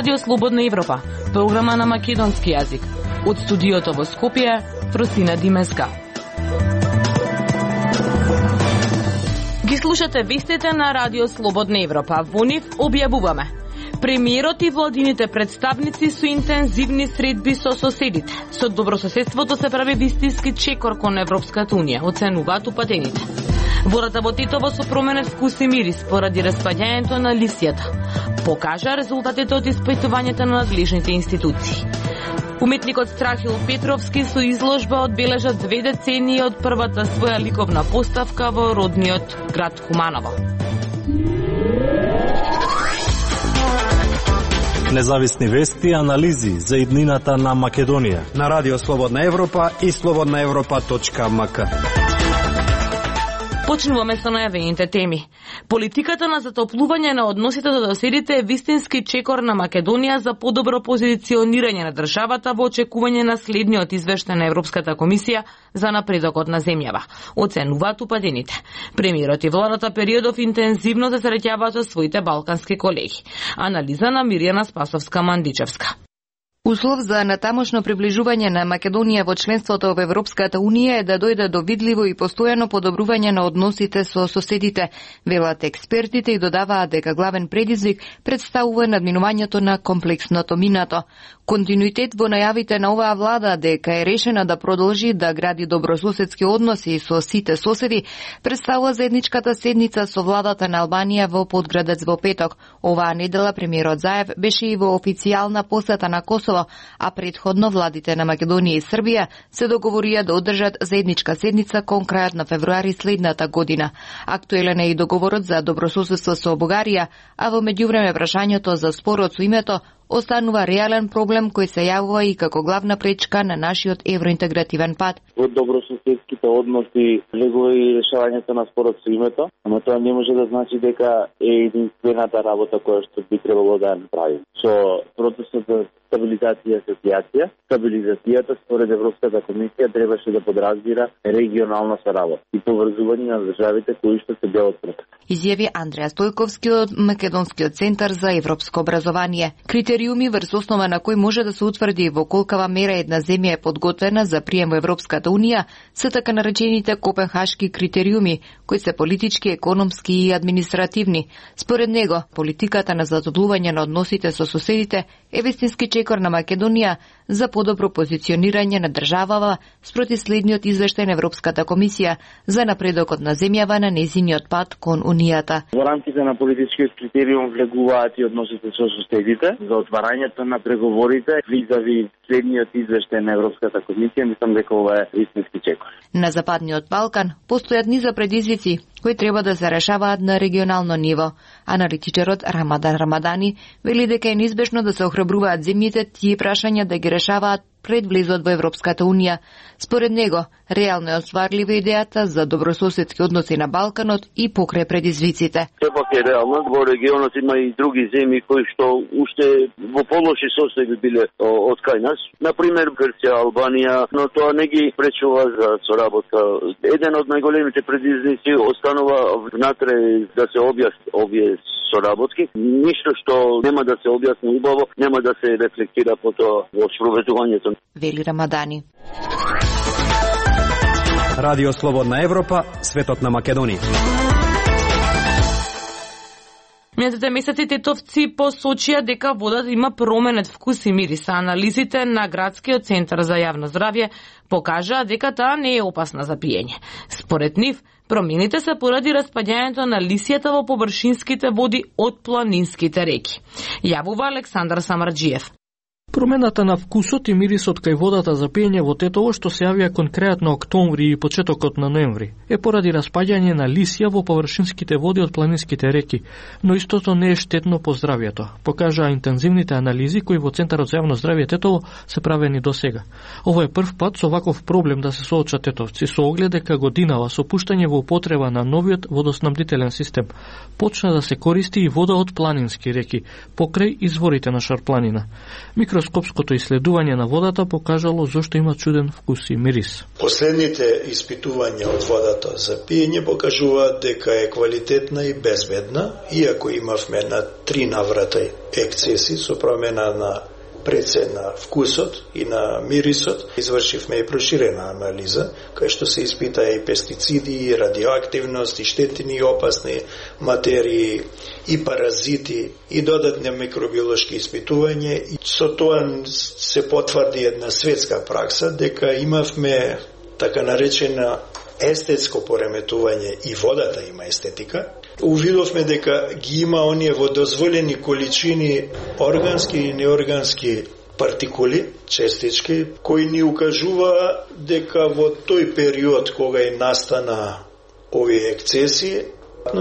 Радио Слободна Европа, програма на македонски јазик. Од студиото во Скопје, Фросина Димеска. Ги слушате вестите на Радио Слободна Европа. Во нив објавуваме: премиерот и владините представници со интензивни средби со соседите. Со добрососедството се прави вистински чекор кон Европската унија, оценуваат упатените. Водата во Тетово со променет вкус и мирис поради распаѓањето на лисијата. Покажа резултатите од испитувањето на надлежните институции. Уметникот Страхил Петровски со изложба одбележа 2 децении од првата своја ликовна поставка во родниот град Куманово. Независни вести и анализи за иднината на Македонија на Радио Слободна Европа и slobodnaevropa.mk. Почнуваме со најавените теми. Политиката на затоплување на односите до соседите е вистински чекор на Македонија за подобро позиционирање на државата во очекување на следниот извештај на Европската комисија за напредокот на земјава, оценуваат упатените. Премиерот и владата периодов интензивно се среќаваат со своите балкански колеги. Анализа на Мирјана Спасовска-Мандичевска. Услов за натамошно приближување на Македонија во членството во Европската унија е да дојде до видливо и постојано подобрување на односите со соседите, велат експертите и додаваат дека главен предизвик представува надминувањето на комплексното минато. Континуитет во најавите на оваа влада дека е решена да продолжи да гради добрососедски односи со сите соседи представува заедничката седница со владата на Албанија во Подградец во петок. Оваа недела премиерот Заев беше и во официјална посета на Косово, а предходно владите на Македонија и Србија се договорија да одржат заедничка седница кон крајот на февруари следната година. Актуелен е и договорот за добрососедство со Бугарија, а во меѓувреме прашањето за спорот со името останува реален проблем кој се јавува и како главна пречка на нашиот евроинтегративен пат. Во добрососедските односи легува и решавањето на спорот со името, ама тоа не може да значи дека е единствената работа која што би требало да ја направи. Со процесот за стабилизација и асоциација, стабилизацијата според Европската комисија требаше да подразбира регионална соработа и поврзување на државите кои што се дел од процесот. Изјави Андреа Стојковски од Македонскиот центар за европско образование. Критериуми врз основа на кои може да се утврди во колкава мера една земја е подготвена за прием во Европската унија се така наречените Копенхашки критериуми, кои се политички, економски и административни. Според него, политиката на задоблување на односите со соседите е вистински чекор на Македонија за подобро позиционирање на државава спроти следниот извештај на Европската комисија за напредокот на земјава на нејзиниот пат кон Унијата. Во рамките на политичкиот критериум влегуваат и односите со соседите за отварањето на преговорите визави следниот извештај на Европската комисија. Мислам дека ова е вистински чекор. На Западниот Балкан постојат низа предизвици кои треба да се решаваат на регионално ниво. Аналитичарот Рамадан Рамадани вели дека е неизбежно да се охрабруваат земјите тие прашања да ги решаваат пред влезот во Европската унија. Според него, реално е остварлива идејата за добрососедски односи на Балканот и покрај предизвиците. Сепак е реално, во регионот има и други земји кои што уште во полоши состојби биле од кај нас. Например, Грција, Албанија, но тоа не ги пречува за соработка. Еден од најголемите предизвици останува внатре да се објасни овие соработки. Ништо што нема да се објасни убаво, нема да се рефлектира потоа во спроведувањето. Вели Рамадани. Радио Слободна Европа, светот на Македонија. Минатите месеци тетовци посочија дека водата има променет вкус и мирис. Анализите на Градскиот центар за јавно здравје покажаа дека таа не е опасна за пиење. Според нив, промените се поради распаѓањето на лисијата во површинските води од планинските реки. Јавува Александар Самарџиев. Промената на вкусот и мирисот кај водата за пиење во Тетово, што се јавија кон крајот на октомври и почетокот на ноември, е поради распаѓање на лисија во површинските води од планинските реки, но истото не е штетно по здравјето, покажаа интензивните анализи кои во Центарот за јавно здравје Тетово се правени до сега. Ово е прв пат со ваков проблем да се соочат тетовци, со оглед дека годинава со пуштање во употреба на новиот водоснабдителен систем почна да се користи и вода од планински реки, покрај изворите на Шарпланина. микроскопското исследување на водата покажало зошто има чуден вкус и мирис. Последните испитувања од водата за пиење покажуваат дека е квалитетна и безбедна, иако имавме на 3 наврата ексцеси со промена на прецен на вкусот и на мирисот. Извршивме и проширена анализа, кај што се испитаа и пестициди, и радиоактивност, и штетни и опасни материи, и паразити, и додатни микробиолошки испитувања. И со тоа се потврди една светска пракса дека имавме така наречена естетско пореметување и водата има естетика. Увидовме дека ги има оние во дозволени количини органски и неоргански партикули, честички, кои ни укажува дека во тој период кога и настана овие ексцеси,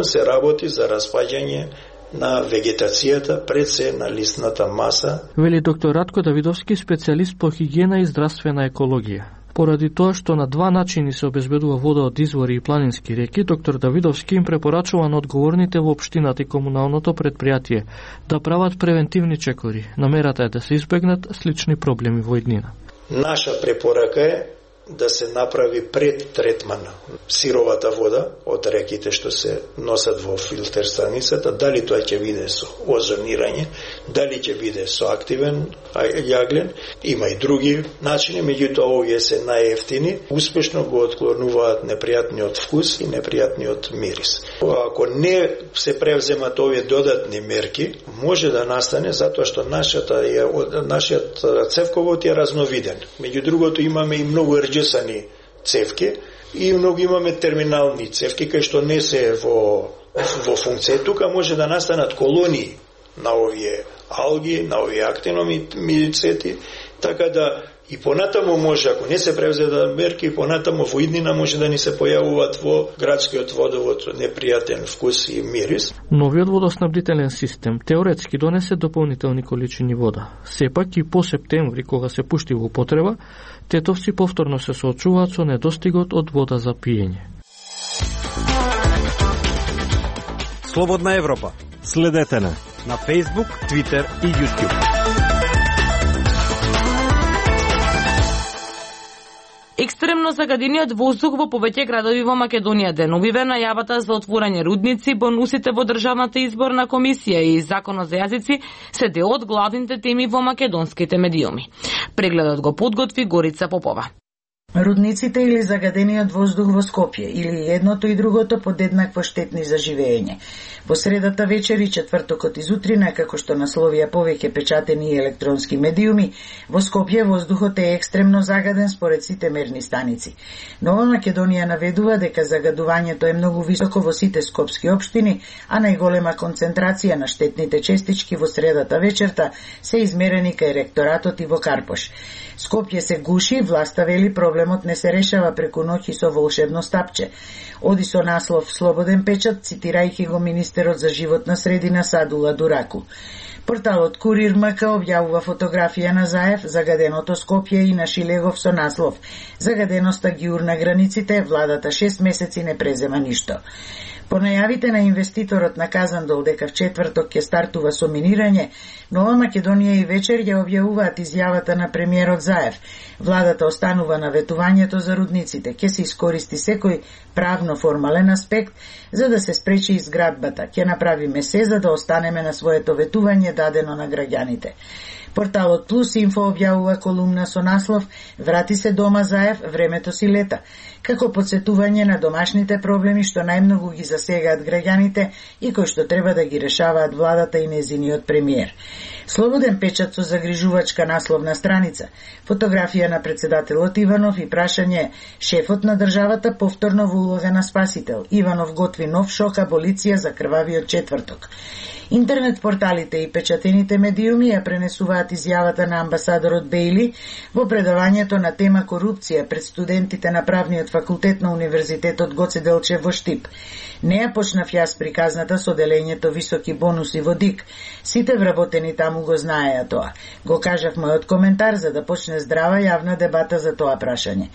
се работи за распаѓање на вегетацијата пред се на лисната маса. Вели доктор Радко Давидовски, специјалист по хигиена и здравствена екологија. Поради тоа што на 2 начини се обезбедува вода од извори и планински реки, доктор Давидовски им препорачува на одговорните во општината и комуналното предпријатие да прават превентивни чекори. Намерата е да се избегнат слични проблеми во иднина. Наша препорака е да се направи пред третман сировата вода од реките што се носат во филтер станицата, дали тоа ќе биде со озонирање, дали ќе биде со активен јаглен, има и други начини, меѓутоа овие се најевтини, успешно го отклонуваат непријатниот вкус и непријатниот мирис. Ако не се превземат овие додатни мерки, може да настане затоа што нашиот цевковод е разновиден. Меѓу другото имаме и многу рџесани цевки и многу имаме терминални цевки кај што не се во функција. Тука може да настанат колонии на овие алги, на овие актиномицети, така да и понатамо може, ако не се превзедат мерки, понатамо во иднина може да ни се појавуваат во градскиот водовод непријатен вкус и мирис. Новиот водоснабдителен систем теоретски донесе дополнителни количини вода. Сепак и по септември, кога се пушти во употреба, тетовци повторно се соочуваат со недостигот од вода за пиење. Слободна Европа. Следете на Facebook, Twitter и YouTube. Екстремно загадениот воздух во повеќе градови во Македонија деновиве најавата за отворање рудници, бонусите во Државната изборна комисија и законот за јазици се дел од главните теми во македонските медиуми. Прегледот го подготви Горица Попова. Рудниците или загадениот воздух во Скопје, или едното и другото подеднакво штетни за живење. Во средата вечер и четвртокот изутрина, како што насловија повеќе печатени и електронски медиуми, во Скопје воздухот е екстремно загаден според сите мерни станици. Нова Македонија наведува дека загадувањето е многу високо во сите скопски општини, а најголема концентрација на штетните честички во средата вечерта се измерени кај ректоратот и во Карпош. Скопје се гуши, власта вели проблемот не се решава преку ноќ со волшебно стапче. Оди со наслов Слободен печат, цитирајќи го министерот за животна средина Садула Дураку. Порталот Курир МК објавува фотографија на Заев, загаденото Скопје и на Шилегов со наслов Загаденоста ги урна границите, владата 6 месеци не презема ништо. По најавите на инвеститорот на Казандол дека в четврток ќе стартува со минирање, Нова Македонија и вечер ја објавуваат изјавата на премиерот Заев. Владата останува на ветувањето за рудниците, ќе се искористи секој правно формален аспект за да се спречи изградбата. Ќе направиме се за да останеме на своето ветување дадено на граѓаните. Порталот Плюс Инфо објавува колумна со наслов Врати се дома Заев, времето си лета, како подсетување на домашните проблеми што најмногу ги засегаат граѓаните и кои што треба да ги решаваат владата и незиниот премиер. Слободен печат со загрижувачка насловна страница, фотографија на председателот Иванов и прашање шефот на државата повторно во улога на спасител. Иванов готви нов шок аболиција за крвавиот четврток. Интернет порталите и печатените медиуми ја пренесуваат изјавата на амбасадорот Бејли во предавањето на тема корупција пред студентите на правниот факултет на Универзитетот Гоце Делчев во Штип. Не ја почнав јас приказната со делењето високи бонуси во ДИК. Сите вработени таму го знаеа тоа. Го кажав мојот коментар за да почне здрава јавна дебата за тоа прашање.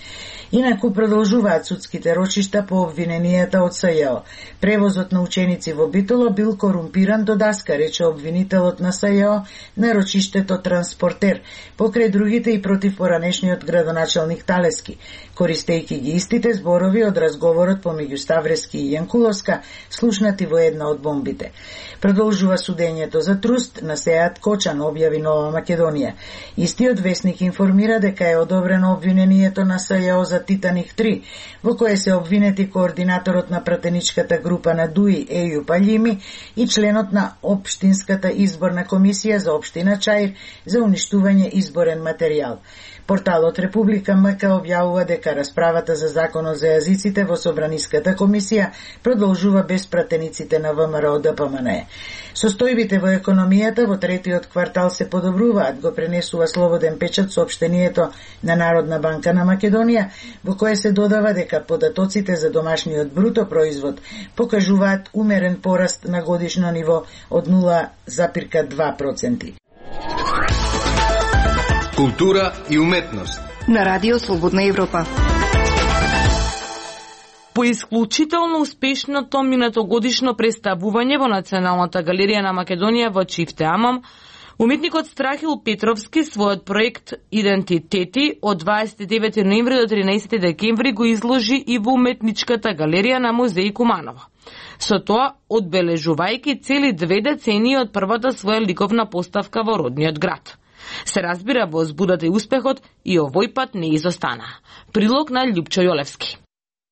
Инаку продолжуваат судските рочишта по обвиненијата од СЈО. Превозот на ученици во Битола бил корумпиран, даска, рече обвинителот на СЈО на рочиштето Транспортер, покрај другите и против поранешниот градоначалник Талески, користејќи ги истите зборови од разговорот помеѓу Ставрески и Јанкуловска, слушнати во една од бомбите. Продолжува судењето за труст на Сеат Кочан, објави Нова Македонија. Истиот весник информира дека е одобрено обвинението на СЈО за Титаник 3, во кое се обвинети координаторот на пратеничката група на ДУИ Еју Паљими и членот на Општинската изборна комисија за општина Чаир за уништување изборен материјал. Порталот Република МК објавува дека расправата за законот за јазиците во Собраниската комисија продолжува без пратениците на ВМРО ДПМН. Состојбите во економијата во третиот квартал се подобруваат, го пренесува Слободен печат соопштението на Народна банка на Македонија, во кое се додава дека податоците за домашниот бруто производ покажуваат умерен пораст на годишно ниво од 0,2%. Култура и уметност на Радио Слободна Европа. По исклучително успешното минатогодишно представување во Националната галерија на Македонија во Чифте Амам, уметникот Страхил Петровски својот проект Идентитети од 29 ноември до 13 декември го изложи и во Уметничката галерија на музеј Куманово. Со тоа, одбележувајќи цели 2 децении од првата своја ликовна поставка во родниот град. Се разбира, во збудата и успехот и овој пат не изостана. Прилог на Љупчо Јолевски.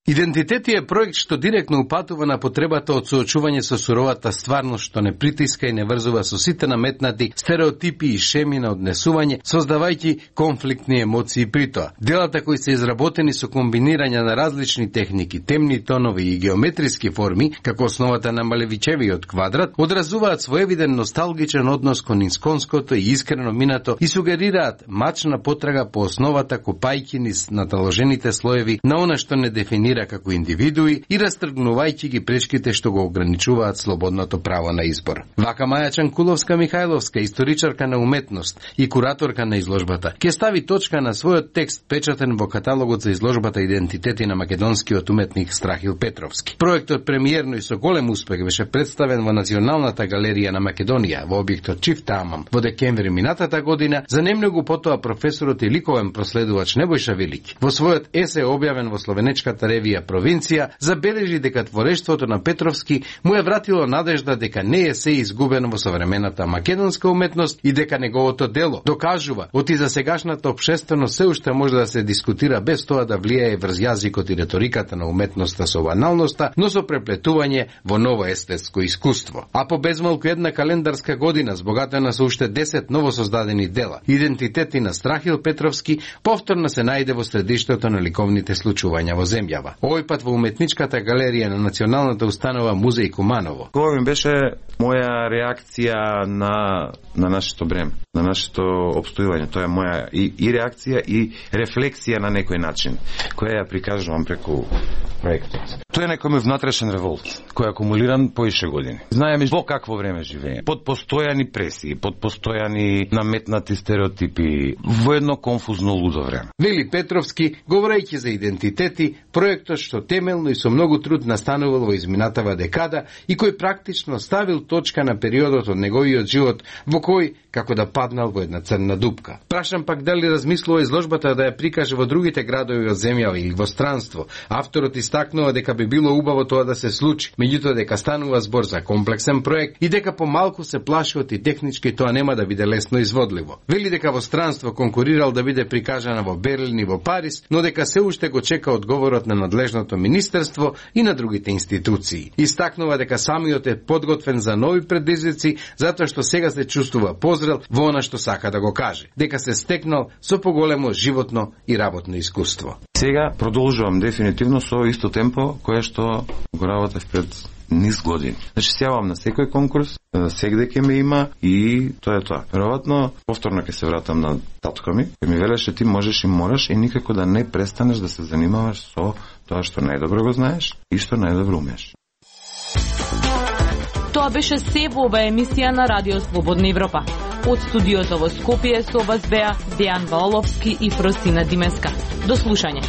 Идентитети е проект што директно упатува на потребата од соочување со суровата стварност, што не притиска и не врзува со сите наметнати стереотипи и шеми на однесување, создавајќи конфликтни емоции при тоа. Делата кои се изработени со комбинирање на различни техники, темни тонови и геометриски форми, како основата на Малевичевиот квадрат, одразуваат своевиден носталгичен однос кон исконското и искрено минато и сугерираат мачна потрага по основата копајќи низ наталожените слоеви на она што не дефинира како индивидуи и растргнувајќи ги пречките што го ограничуваат слободното право на избор. Вака Маја Чанкуловска-Михајловска, историчарка на уметност и кураторка на изложбата, ќе стави точка на својот текст печатен во каталогот за изложбата Идентитети на македонскиот уметник Страхил Петровски. Проектот премиерно и со голем успех беше представен во Националната галерија на Македонија во објектот Чифте Амам во декември минатата година. За немногу потоа професорот и ликовен проследувач Небојша Велики во својот есе објавен во словенечката ревија Провинција забележи дека творештвото на Петровски му е вратило надежда дека не е се изгубено во современата македонска уметност и дека неговото дело докажува оти за сегашната општественост се уште може да се дискутира без тоа да влијае врз јазикот и реториката на уметноста со баналноста, но со преплетување во ново естетско искуство. А по безмалку една календарска година збогатена со уште 10 новосоздадени дела, Идентитети на Страхил Петровски повторно се најде во средиштето на ликовните случувања во земјава. Овој пат во Уметничката галерија на Националната установа Музеј Куманово. Ова ми беше моја реакција на нашето бреме, на нашето обстојување. Тоа е моја и реакција и рефлексија на некој начин, која ја прикажувам преку проектот. Тоа е некој внатрешен револт, кој е акумулиран поише години. Знаеме во какво време живееме. Под постојани пресии, под постојани наметнати стереотипи, во едно конфузно лудо време. Вели Петровски, говорејќи за идентитети, проектот што темелно и со многу труд настанувал во изминатава декада и кој практично ставил точка на периодот од неговиот живот во кој како да паднал во една црна дупка. Прашам пак дали размислува изложбата да ја прикаже во другите градови од земјава или во странство. Авторот истакнува дека би било убаво тоа да се случи, меѓутоа дека станува збор за комплексен проект и дека помалку се плаши од и технички тоа нема да биде лесно изводливо. Вели дека во странство конкурирал да биде прикажана во Берлин и во Париз, но дека се уште го чека одговорот на надлежното министерство и на другите институции. Истакнува дека самиот е подготвен за нови предизвици, затоа што сега се чувствува позрел во она што сака да го каже, дека се стекнал со поголемо животно и работно искуство. Сега продолжувам дефинитивно со исто темпо кое што го работев пред низ години. Значи се јавам на секој конкурс, сегде ќе ме има и тоа е тоа. Веројатно повторно ќе се вратам на татко ми, кој ми велеше ти можеш и мораш и никако да не престанеш да се занимаваш со тоа што најдобро го знаеш и што најдобро умееш. Тоа беше се во ова емисија на Радио Слободна Европа. Од студиото во Скопје со вас беа Дејан Валовски и Фросина Димеска. До слушање.